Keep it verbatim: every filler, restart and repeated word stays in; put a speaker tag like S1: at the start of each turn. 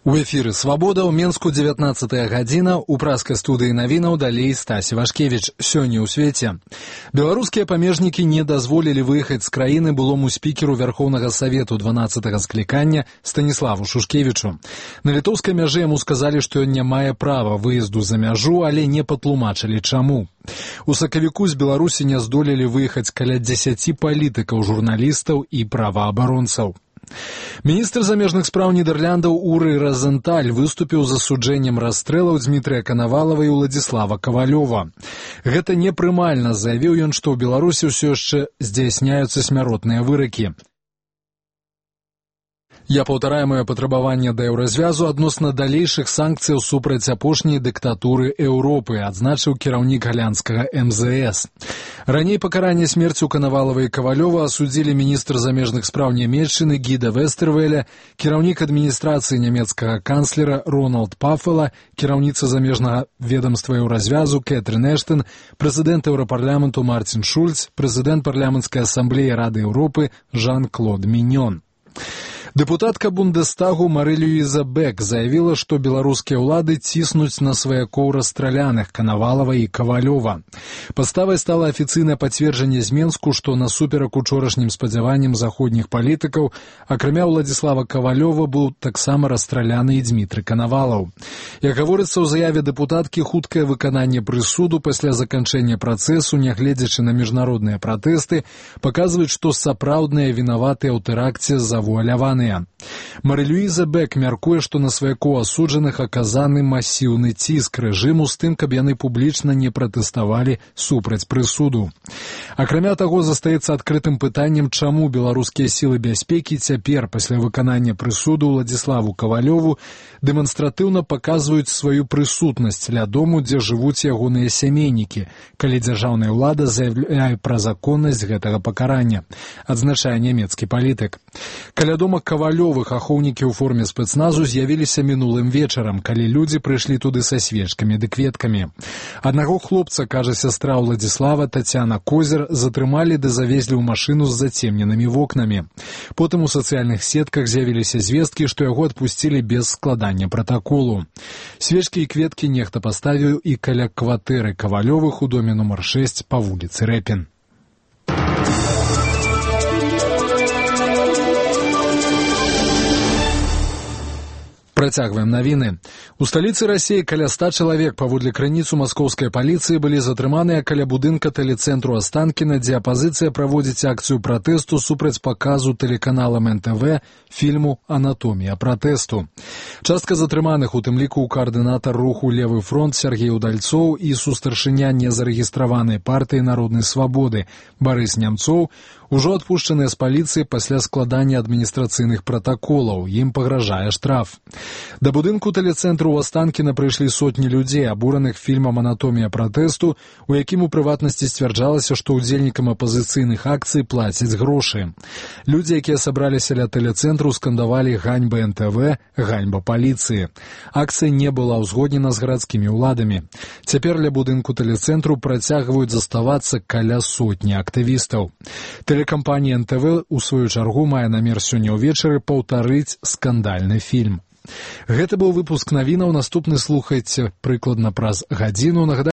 S1: У эфіры «Свабода» ў Менску дзевятнаццатая гадзіна, у праскай студыі навінаў далей Стась Івашкевіч. Сёння ў свеце. Беларускія памежнікі не дазволілі выехаць з краіны былому спікеру Вярхоўнага Савету дванаццатага склікання Станіславу Шушкевічу. На літоўскай мяжы яму сказалі, што ён не мае права выезду за мяжу, але не патлумачылі чаму. У сакавіку з Беларусі не здолелі выехаць каля дзесяці палітыкаў, журналістаў і праваабаронцаў. Міністр замежных спраў Нідэрляндаў Уры Розенталь выступіў з асуджэннем расстрэлаў Дмітрыя Канавалава і Уладзіслава Кавалёва. Гэта непрымальна, заявіў ён, што ў Беларусі ўсё яшчэ здзяйсняюцца смяротныя выракі. Я паўтараю маё патрабаванне да еўразвязу адносна далейшых санкцыяў супраць апошняй дыктатуры Еўропы, адзначыў кіраўнік галандскага эм зэ эс. Раней пакаранне смерцю Канавалава і Кавалёва асудзілі міністр замежных спраў Нямецчыны Гіда Вестервеля, кіраўнік адміністрацыі нямецкага канцлера Роналд Пафела, кіраўніца замежнага ведамства еўразвязу Кэтрын Эштон, прэзідэнт Еўрапарламенту Марцін Шульц, прэзідэнт парламенцкай асамблеі Рады Еўропы Жан-Клод Міньон. Дэпутатка Бундестагу Мары-Люіза Бек заявіла, што беларускія ўлады ціснуць на сваякоў расстраляных Канавалава і Кавалёва. Падставай стала афіцыйнае пацверджанне з Менску, што насуперак учорашнім спадзяванням заходніх палітыкаў, акрамя Уладзіслава Кавалёва, быў таксама расстраляны і Дмітрый Канавалаў. Як гаворыцца ў заяве дэпутаткі, хуткае выкананне прысуду пасля заканчэння працэсу, нягледзячы на міжнародныя пратэсты, паказваюць, што сапраўдныя вінаватыя ў тэракце завуаляваны. Мары-Люіза Бек мяркуе, што на сваякоў асуджаных аказаны масіўны ціск рэжыму з тым, каб яны публічна не пратэставалі супраць прысуду. Акрамя таго, застаецца адкрытым пытаннем, чаму беларускія сілы бяспекі цяпер, пасля выканання прысуду Уладзіславу Кавалёву, дэманстратыўна паказваюць сваю прысутнасць ля дому, дзе жывуць ягоныя сямейнікі, калі дзяржаўная ўлада заяўляе пра законнасць гэтага пакарання, адзначае нямецкі палітык. Каля дома Кавалёвых ахоўнікі ў форме спецназу з'явіліся мінулым вечарам, калі людзі прыйшлі туды са свечкамі ды кветкамі. Аднаго хлопца, кажа сястра Уладзіслава Тацяна Козер, затрымалі ды завезлі ў машыну з зацемненымі вокнамі. Потым у сацыяльных сетках з'явіліся звесткі, што яго адпусцілі без складання пратаколу. Свечкі і кветкі нехта паставіў і каля кватэры Кавалёвых у доме нумар шэсць па вуліцы Рэпін. Працягваем навіны. У сталіцы Расіі каля ста чалавек, паводле крыніцу маскоўскай паліцыі, былі затрыманыя каля будынка тэлецэнтру Астанкіна, дзе апазіцыя праводзіць акцыю пратэсту супраць паказу тэлеканалам эн тэ вэ фільму «Анатомія пратэсту». Частка затрыманых, у тым ліку каардынатар руху «Левы фронт» Сергей Удальцоў і сустаршыня незарэгістраванай партыі народнай свабоды Барыс Нямцоў, ужо адпушчаныя з паліцыі пасля складання адміністрацыйных пратаколаў, ім пагражае штраф. Да будынку тэлецэнтру ў Астанкіна прыйшлі сотні людзей, абураных фільмам «Анатомія пратэсту», у якім у прыватнасці сцвярджалася, што ўдзельнікам апазіцыйных акцый плацяць грошы. Людзі, якія сабраліся ля тэлецэнтру, скандавалі «Ганьба эн тэ вэ», «Ганьба паліцыі». Акцыя не была ўзгоднена з гарадскімі ўладамі. Цяпер ля будынку тэлецэнтру працягваюць заставацца каля сотні актывістаў. Тэлекампанія эн тэ вэ, у сваю чаргу, мае намер сёння ўвечары паўтарыць скандальны фільм. Гэта быў выпуск навінаў, наступны слухайце прыкладна праз гадзіну.